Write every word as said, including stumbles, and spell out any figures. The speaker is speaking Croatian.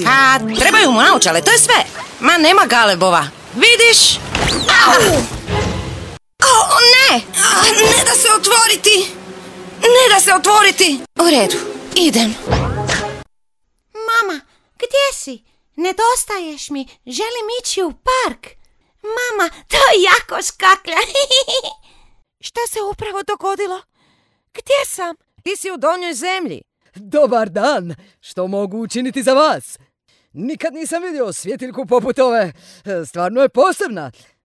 A, trebaju mu naočale, to je sve. Ma, nema galebova. Vidiš? Au! O, ne! A, ne da se otvoriti! Ne da se otvoriti! U redu, idem. Mama, gdje si? Nedostaješ mi, želim ići u park. Mama, to je jako škaklja. Šta se upravo dogodilo? Gdje sam? Ti si u donjoj zemlji. Dobar dan, što mogu učiniti za vas? Nikad nisam vidio svjetiljku poput ove, stvarno je posebna.